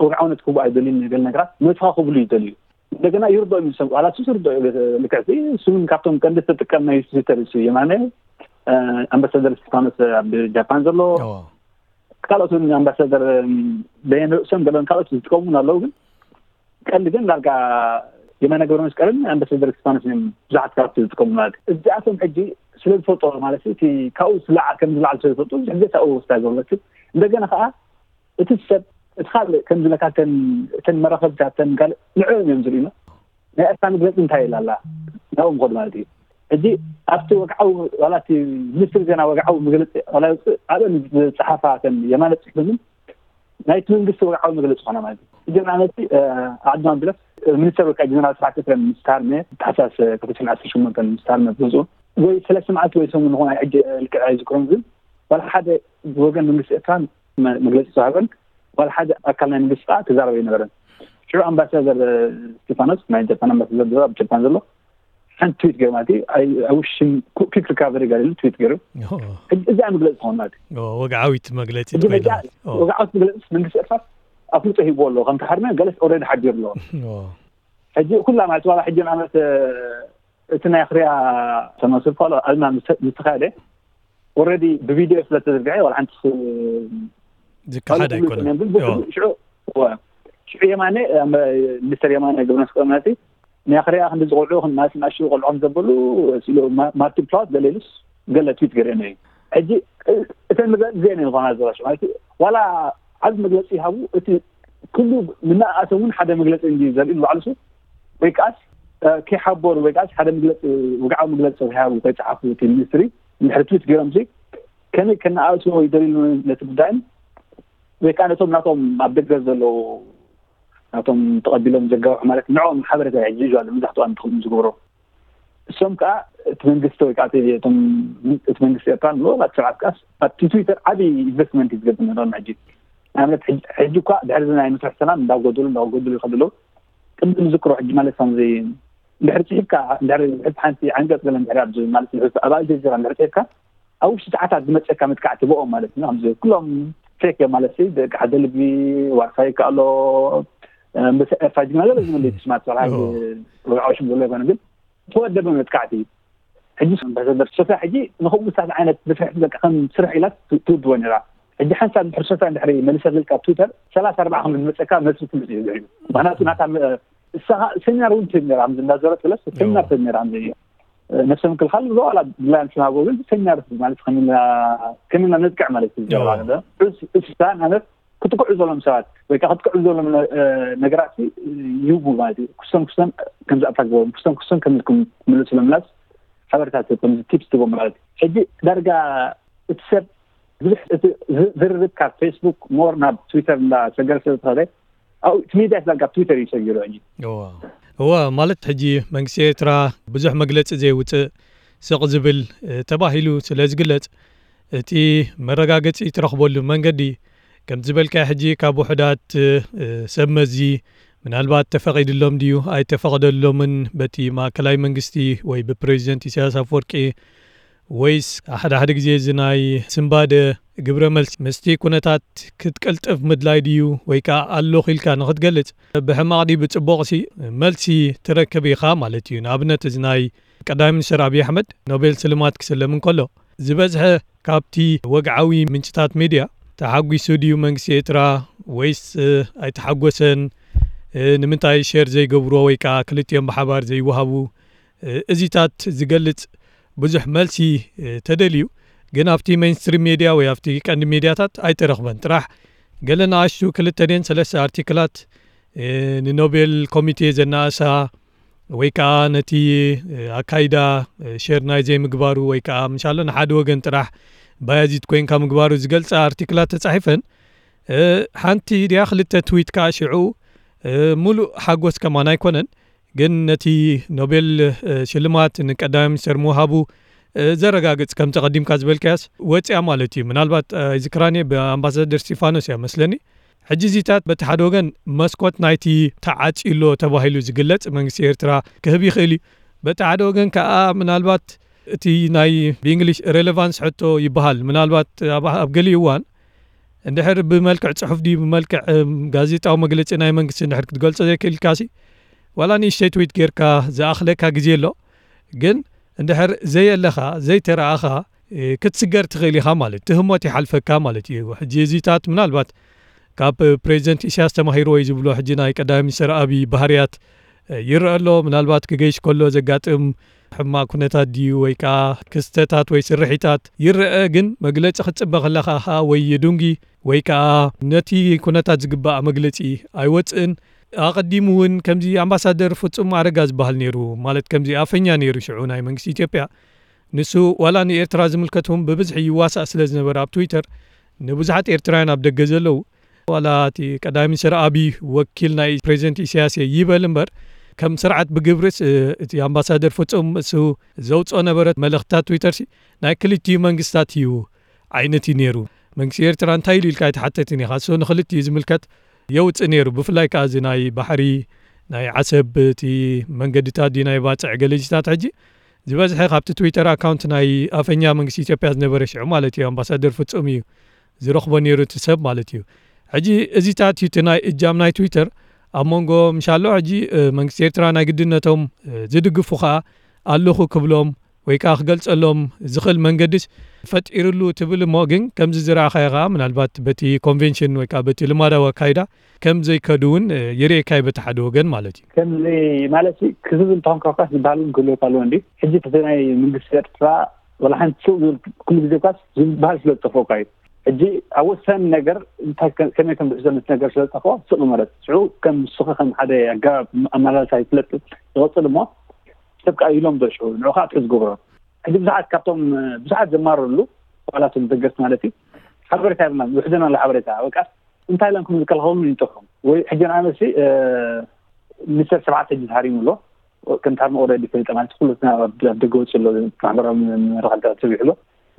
ወግዓውነት ክቡ ኣይደልዩ ገለ ነገራት መስኻ ክብሉ ይደልዩ እንደገና ይርዶ እዩ ሰብ ዋላ ሱስ ይርዶ እዩ ልክዕ እሱ ካብቶም ቀንዲ ተጥቀም ናይ ትዊተር እሱ የማነ ኣምባሳደር ስቲፋኖስ ኣብ ጃፓን ዘሎ ካልኦት ኣምባሳደር በየን ርእሶም ገለን ካልኦት ዝጥቀሙ ኣለዉ ግን ቀንዲ ግን ዳርጋ የማነ ገብረ መስቀልን ኣምባሳደር ስቲፋኖስ እዮም ብዙሓት ካብቲ ዝጥቀሙ ማለት እዚኣቶም ሕጂ ስለ ዝፈልጦ ማለት እቲ ካብኡ ዝለዓ ከም ዝለዓል ስለ ዝፈልጡ ሕገታኡ ወስዳ ዝብለትን እንደገና ከዓ እቲ ሰብ እቲ ካልእ ከም ዝለካ እተን መራኸብታት እተን ካልእ ንዕኦም እዮም ዝርእዩና ናይ ኤርትራ መግለፂ እንታይ ኢላ ኣላ ናብኡ ምኸዱ ማለት እዩ ሕጂ ኣብቲ ወግዓዊ ዋላ እቲ ሚኒስትሪ ዜና ወግዓዊ መግለፂ ዋላ ይውፅእ ኣብአን ዝፀሓፋ ከም የማነ ፅሕፍምን ናይቲ መንግስቲ ወግዓዊ መግለፂ ዝኾነ ማለት እዩ ሕጂ ንኣብነቲ ዓድና ብለፍ ሚኒስተር ወልቃ ጀነራል ስብሓት ኤፍሬም ምስ ታርመ ታሕሳስ ክልተ ሽሕን ዓሰርተ ሸሞንተን ምስ ታርመ ዝመፅኡ ወይ ሰለስተ መዓልቲ ወይ ሰሙን ዝኾነ ሕጂ ልክዕ ኣይዝክሮን ግን ዋላ ሓደ ብወገን መንግስቲ ኤርትራ መግለፂ ዝተዋህበን ዋላ ሓደ ኣካል ናይ መንግስቲ ከዓ ተዛረበ ኣይነበረን ሽዑ ኣምባሳደር ስቴፋኖስ ናይ ጃፓን ኣምባሳደር ዘሎ ኣብ ጃፓን ዘሎ ሓንቲ ትዊት ገይሩ ማለት እዩ I wish him quick recovery ጋር ኢሉ ትዊት ገይሩ እዚኣ መግለፂ ትኸውን ማለት እዩ ወግዓዊት መግለፂ ትኸውን ወግዓዊት መግለፂ መንግስቲ ኤርትራ ኣፍልጦ ሂብዎ ኣለዎ ከም ተሓርመ ገለስ ኦልሬዲ ሓዲሩ ኣለዎ ሕጂ ኩላ ማለት ዋላ ሕጂ ንኣብነት እቲ ናይ ኣኽርያ ተመስል ኳሎ ኣልማ ምስተኻደ ኦልሬዲ ብቪድዮ ስለ ተዘርግሐ ዋላ ሓንቲ ዝከሓድ ኣይኮነን ሽዑ ሽዑ የማነ ሚኒስተር የማነ ግብረ መስቀል ማለት ናይ ኣኽርያ ክንዲ ዝቆልዑ ክንማስ ናሽኡ ቆልዖም ዘበሉ ሲሉ ማርቲን ፕላውት ገለ ኢሉስ ገለ ትዊት ገለ እዩ ሕጂ እተን መግለፂ ዜና ዝኾና ዘባሽ ማለት ዋላ ዓብ መግለፂ ይሃቡ እቲ ኩሉ ምናኣቶም እውን ሓደ መግለፂ እንዲ ዘርኢ ንባዕሉ ሱ ወይ ከዓስ ከይሓበሩ ወይ ከዓስ ሓደ መግለፂ ወግዓዊ መግለፂ ከይሃቡ ከይፀሓፉ እቲ ሚኒስትሪ እንድሕሪ ትዊት ገይሮም ሲ ከመይ ከነኣእስዎ ይደልዩ ነቲ ጉዳይን ወይ ከዓ ነቶም ናቶም ኣብ ደገ ዘለዉ ናቶም ተቐቢሎም ዘጋብሑ ማለት ንዕኦም ሓበሬታ ሕጂ እዩ ኣሎ መብዛሕትኡ ኣንትኹም ዝገብሮ እሶም ከዓ እቲ መንግስቲ ወይ ከዓ እቲ መንግስቲ ኤርትራ ንብሎ ናብ ስርዓት ከዓስ ኣብቲ ትዊተር ዓብዪ ኢንቨስትመንት እዩ ዝገብር ነሮም ሕጂ ንኣብነት ሕጂ እኳ ድሕሪ ናይ መስርሕ ሰላም እንዳጎደሉ እንዳጎደሉ ይኸዱ ኣለዉ ቅድም ዝዝክሮ ሕጂ ማለት ከምዚ ድሕሪ ፅሒፍካ ድሕሪ ፅሕፍ ሓንቲ ዓንቀፅ ገለ ድሕሪ ኣብዚ ማለት ኣብ ኣልጀዚራ ድሕሪ ፅሒፍካ ኣብ ውሽጢ ሰዓታት ዝመፀካ መጥቃዕቲ ብኦም ማለት እዩ ከምዚ ኩሎም ፌክ እዮም ማለት እዩ ደቂ ሓደ ልቢ ዋርሳይ ከኣሎ ምስ ኤርትራ ጅግና ገለ ዝብል ስማት ሰብሓ ወግዓዊ ሽም ዘሎ ይኮነ ግን ተወደበ መጥቃዕቲ እዩ ሕጂ ኣምባሳደር ሶፍያ ሕጂ ንከምኡታት ዓይነት ድፍሕቲ በቃ ከም ስራሕ ኢላ ትውድቦ ነራ ሕጂ ሓንሳብ ድሕሪ ሶፍያ ድሕሪ መሊሰ ዝብል ካብ ትዊተር ሰላሳ ኣርባዓ ከም ዝመፀካ መልሲ ትምፅ እዩ ዝሕዩ ምክንያቱ ናታ እሳኻ ሰሚናር እውን ትህብ ነራ ከምዚ እንዳዘረት ብለስ ሰሚናር ትህብ ነራ ከምዚ ነፍሰ ምክልኻል ዝዋላ ብላይ ኣምሽናጎ ግን ሰሚናር ማለት ከሚና ነጥቅዕ ማለት እዩ እሳ ማለት ክትቅዑ ዘሎም ሰባት ወይ ከዓ ክትቅዑ ዘሎም ነገራት ይህቡ ማለት እዩ ክስቶም ክስቶም ከም ዝኣታ ዝበሎም ክስቶም ክስቶም ከም ምልሱ ለምላስ ሓበሬታት ከም ቲፕስ ትቦ ማለት እዩ ሕጂ ዳርጋ እቲ ሰብ ብዙሕ ዝርርብ ካብ ፌስቡክ ሞር ናብ ትዊተር እንዳሰገረ ስለ ዝኸደ እቲ ሚድያ ዳርጋ ትዊተር እዩ ሰጊሩ ሕጂ እዋ ማለት ሕጂ መንግስቲ ኤርትራ ብዙሕ መግለፂ ዘይውፅእ ስቕ ዝብል ተባሂሉ ስለ ዝግለፅ እቲ መረጋገፂ ትረኽበሉ መንገዲ ከም ዝበልካዮ ሕጂ ካብ ውሑዳት ሰብ መዚ ምናልባት ተፈቒድሎም ድዩ ኣይተፈቐደሎምን በቲ ማእከላይ መንግስቲ ወይ ብፕሬዚደንት ኢሳያስ ኣፈወርቂ ወይስ ሓደ ሓደ ግዜ እዚ ናይ ስንባደ ግብረ መልሲ ምስቲ ኩነታት ክትቅልጥፍ ምድላይ ድዩ ወይ ከዓ ኣለኹ ኢልካ ንክትገልጽ ብሕማቕ ድዩ ብጽቡቕሲ መልሲ ትረክብ ኢኻ ማለት እዩ። ንኣብነት እዚ ናይ ቀዳማይ ሚኒስትር ኣብይ ኣሕመድ ኖቤል ስልማት ክስለም እንከሎ ዝበዝሐ ካብቲ ወግዓዊ ምንጭታት ሚድያ ተሓጒሱ ድዩ መንግስቲ ኤርትራ ወይስ ኣይተሓጎሰን? ንምንታይ ሸር ዘይገብርዎ ወይ ከዓ ክልቲኦም ብሓባር ዘይወሃቡ እዚታት ዝገልጽ ብዙሕ መልሲ ተደልዩ፣ ግን ኣብቲ ሜይንስትሪም ሜድያ ወይ ኣብቲ ቀንዲ ሜድያታት ኣይተረኽበን። ጥራሕ ገለ ንኣሽቱ ክልተ ድየን ሰለስተ ኣርቲክላት ንኖቤል ኮሚቴ ዘናእሳ ወይ ከዓ ነቲ ኣካይዳ ሸር ናይ ዘይምግባሩ ወይ ከዓ ምሻሎ ንሓደ ወገን ጥራሕ ባያዚት ኮይንካ ምግባሩ ዝገልፃ ኣርቲክላት ተፃሒፈን፣ ሓንቲ ድያ ክልተ ትዊት ከዓ ሽዑ ሙሉእ ሓጎስ ከማን ኣይኮነን። ግን ነቲ ኖቤል ሽልማት ንቀዳማይ ሚኒስተር ምውሃቡ ዘረጋግጽ፣ ከምቲ ቀዲምካ ዝበልካያስ ወፅያ ማለት እዩ። ምናልባት ኣይዝክራን እየ፣ ብኣምባሳደር ስቲፋኖስ እያ መስለኒ። ሕጂ እዚታት በቲ ሓደ ወገን መስኮት ናይቲ ተዓፅዩ ኣሎ ተባሂሉ ዝግለጽ መንግስቲ ኤርትራ ክህብ ይኽእል እዩ። በቲ ሓደ ወገን ከዓ ምናልባት እቲ ናይ ብእንግሊሽ ሬሌቫንስ ሕቶ ይበሃል። ምናልባት ኣብ፣ ኣብ ገሊኡ እዋን እንድሕር ብመልክዕ ጽሑፍ ድዩ ብመልክዕ ጋዜጣዊ መግለጺ ናይ መንግስቲ እንድሕር ክትገልጾ ዘይክእልካሲ፣ ዋላ ንእሽተይ ትዊት ጌርካ ዝኣኽለካ ግዜ ኣሎ። ግን እንድሕር ዘየለኻ ዘይተረኣኻ ክትስገር ትኽእል ኢኻ ማለት ትህሞት ይሓልፈካ ማለት እዩ። ሕጂ እዚታት ምናልባት ካብ ፕሬዚደንት ኢሳያስ ተማሂርዎ እዩ ዝብሎ ሕጂ ናይ ቀዳማይ ሚኒስተር ኣብይ ባህርያት ይረአ ኣሎ። ምናልባት ክገይሽ ከሎ ዘጋጥም ሕማቕ ኩነታት ድዩ ወይ ከዓ ክስተታት ወይ ስርሒታት ይረአ። ግን መግለጺ ክትጽበ ከለኻ ከዓ ወይ ይዱንጊ ወይ ከዓ ነቲ ኩነታት ዝግባእ መግለጺ ኣይወፅእን። ኣቐዲሙ እውን ከምዚ ኣምባሳደር ፍጹም ኣረጋ ዝበሃል ነይሩ፣ ማለት ከምዚ ኣፈኛ ነይሩ ሽዑ ናይ መንግስቲ ኢትዮጵያ። ንሱ ዋላ ንኤርትራ ዝምልከት እውን ብብዝሒ ይዋሳእ ስለ ዝነበረ ኣብ ትዊተር ንብዙሓት ኤርትራውያን ኣብ ደገ ዘለዉ ዋላ እቲ ቀዳማይ ሚኒስትር ኣብይ ወኪል ናይ ፕሬዚደንት ኢሳያስ እየ ይበል እምበር፣ ከም ስርዓት ብግብርስ እቲ ኣምባሳደር ፍጹም እሱ ዘውፅኦ ነበረ መልእኽትታት ትዊተር ሲ ናይ ክልቲኡ መንግስታት እዩ ዓይነት እዩ ነይሩ። መንግስቲ ኤርትራ እንታይ ኢሉ ኢልካ ኣይተሓተትን ኢኻ። እሱ ንክልቲኡ ዝምልከት የውፅእ ነይሩ። ብፍላይ ከዓ እዚ ናይ ባሕሪ ናይ ዓሰብ እቲ መንገድታት ድዩ ናይ ባፅዕ ገለጅታት ሕጂ ዝበዝሐ ካብቲ ትዊተር ኣካውንት ናይ ኣፈኛ መንግስቲ ኢትዮጵያ ዝነበረ ሽዑ ማለት እዩ ኣምባሳደር ፍጹም እዩ ዝረኽቦ ነይሩ እቲ ሰብ ማለት እዩ። ሕጂ እዚታት እዩ እቲ ናይ እጃም ናይ ትዊተር ኣብ መንጎ ምሻሎ ሕጂ መንግስቲ ኤርትራ ናይ ግድነቶም ዝድግፉ ከዓ ኣለኹ ክብሎም ወይ ከዓ ክገልጸሎም ዝኽእል መንገድስ ፈጢርሉ ትብል እሞ ግን ከምዚ ዝረኣኻዮ ከዓ ምናልባት በቲ ኮንቬንሽን ወይ ከዓ በቲ ልማዳዊ ኣካይዳ ከም ዘይከዱ እውን ይርእየካ እዩ በቲ ሓደ ወገን ማለት እዩ። ከምዚ ማለት ክዝብ እንተኾንካ እኳ ዝበሃል እውን ክህልወካ ኣለዎ እንዲ ሕጂ እቲ ናይ መንግስቲ ኤርትራ ወላ ሓንቲ ስቕ ዝብል ኩሉ ግዜ እኳስ ዝበሃል ስለ ዝጠፍኦካ እዩ። ሕጂ ኣብ ወሳኒ ነገር እንታይ ከመይ ከም ዝሕዞ ነቲ ነገር ስለ ዝጠፍኦ ስቕ ማለት ሽዑ ከም ንስኻ ከም ሓደ ኣገባብ ኣመላልሳ ይፍለጥ ይቐፅል እሞ ሰብ ከዓ ኢሎም ዶ ሽዑ ንዑ ከዓ ትሕዝ ዝገብሮ ሕጂ ብዙሓት ካብቶም ብዙሓት ዘማረርሉ ኣባላት ደገፍቲ ማለት እዩ ሓበሬታ የብልናን ውሕደና ኣሎ ሓበሬታ በቃ እንታይ ኢሎም ከም ዝከላኸሉን ይጠፍኦም ወይ ሕጂ ንኣብነት ሚኒስተር ሸብዓተ ሕጂ ተሃሪሙ ኣሎ ከም ተሃርሞ ኦረዲ ፈሊጠ ማለት ኩሉ ኣብ ደገ ወፂ ኣሎ ማሕበራዊ መራኸብታት ሰቢሑ ኣሎ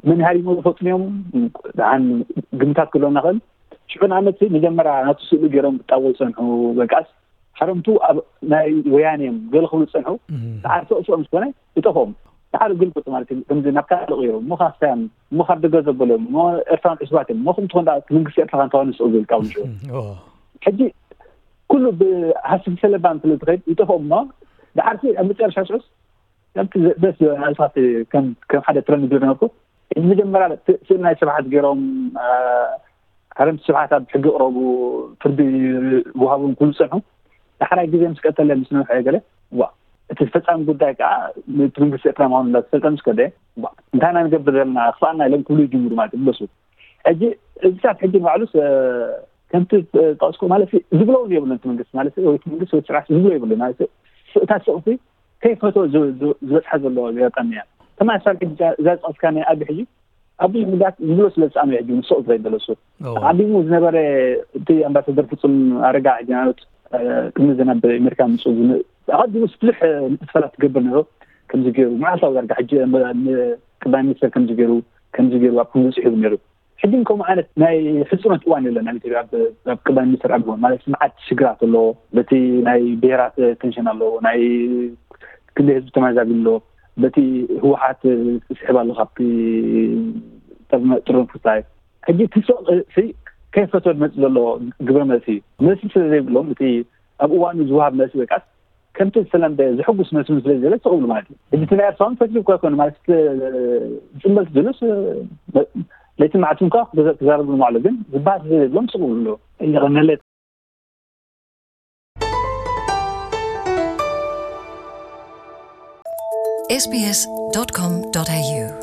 መን ሃሪሞ ዝፈልጡ እዮም ደሓን ግምታት ክህልወና ክእል ሽዑ ንኣብነት መጀመርያ ናቱ ስእሊ ገይሮም ክጣበው ዝፀንሑ በቃስ ሓረምቱ ኣብ ናይ ወያነ እዮም ገለ ክብሉ ዝፀንሑ ሰዓር ስቕ ስቕ ምስ ኮነ ይጠፍኦም ሓደ ግልብጥ ማለት እዩ ከምዚ ናብ ካልእ ቀይሩ እሞ ካስታዮም እሞ ካብ ደገ ዘበሎም እሞ ኤርትራን ዕሱባት እዮም እሞ ከምትኾን ደኣ መንግስቲ ኤርትራ ካንታዋን ስቕ ዝብል ካብ ንሽዑ ሕጂ ኩሉ ብሃስብ ሰለባን ስለ ዝኸይድ ይጠፍኦም እሞ ደሓር ሲ ኣብ መጨረሻ ሽዑስ ከምቲ ደስ ዝበለ ናልፋት ከም ሓደ ትረንድ ዝነበርኩ ሕጂ መጀመርያ ስእሊ ናይ ስብሓት ገይሮም ሓረምቲ ስብሓት ኣብ ሕጊ ቅረቡ ፍርዲ ይወሃቦም ክብሉ ዝፀንሑ ዳሕራይ ግዜ ምስ ቀተለ ምስ ነውሐ ገለ ዋ እቲ ፈፃሚ ጉዳይ ከዓ እቲ መንግስቲ ኤርትራ ምዃኑ እንዳተፈልጠ ምስ ከደ ዋ እንታይ ኢና ንገብር ዘለና ክፍኣና ኢሎም ክብሉ ይጅምሩ ማለት እዩ ብለሱ ሕጂ እዚታት ሕጂ ንባዕሉስ ከምቲ ጠቕስኩ ማለት ዝብሎ እውን የብሉን እቲ መንግስቲ ማለት ወይ እቲ መንግስቲ ወይ ስርዓት ዝብሎ የብሉን ማለት እታ ስቕቲ ከይፈትዎ ዝበፅሓ ዘሎ ኣጋጣሚ እያ ተማሳል ሕጂ እዛ ዝጠቕስካ ናይ ኣቢ ሕጂ ኣብ ብዙሕ ጉዳያት ዝብሎ ስለ ዝፀኣኑ ሕጂ ንስቕ ዝበይ በለሱ ኣቢሙ ዝነበረ እቲ ኣምባሳደር ፍፁም ኣረጋ ሕጂ ማለት ቅድሚ ዘናብ ኣሜሪካ ምፁ ኣቐዲሙ ብዙሕ ንጥፈታት ትገብር ነይሩ ከምዚ ገይሩ መዓልታዊ ዳርጋ ሕጂ ቅዳይ ሚኒስተር ከምዚ ገይሩ ከምዚ ገይሩ ኣብ ከምዚ ፅሒቡ ነይሩ ሕጂ ከምኡ ዓይነት ናይ ሕፅኖት እዋን የለን ኣብ ኢትዮጵያ ኣብ ቅዳይ ሚኒስተር ኣብ ማለት መዓት ሽግራት ኣሎ በቲ ናይ ብሄራት ቴንሽን ኣሎ ናይ ክንደይ ህዝቢ ተመዛቢሉ ኣሎ በቲ ህወሓት ስሕብ ኣሎ ካብቲ ጥርንፉታይ ሕጂ እቲ ሱቕ ከይፈትወ ዝመፅእ ዘሎ ግብረ መልሲ እዩ። መልሲ ስለ ዘይብሎም እቲ ኣብ እዋኑ ዝወሃብ መልሲ ወይ ከዓስ ከምቲ ዝተለምደ ዘሐጉስ መልሲ እውን ስለ ዘይብለ ስቕ ይብሉ ማለት እዩ። ሕጂ እቲ ናይ ኤርትራ እውን ፈትዩ እኳ ኣይኮነ ማለት ዝፅመልቲ ዝብሉስ ለይትን መዓልትን እኳ ክዛረብሉ ማዕሉ ግን ዝበሃል ስለ ዘይብሎም ስቕ ይብሉ ኣለዉ። የቐነለይ። sbs.com.au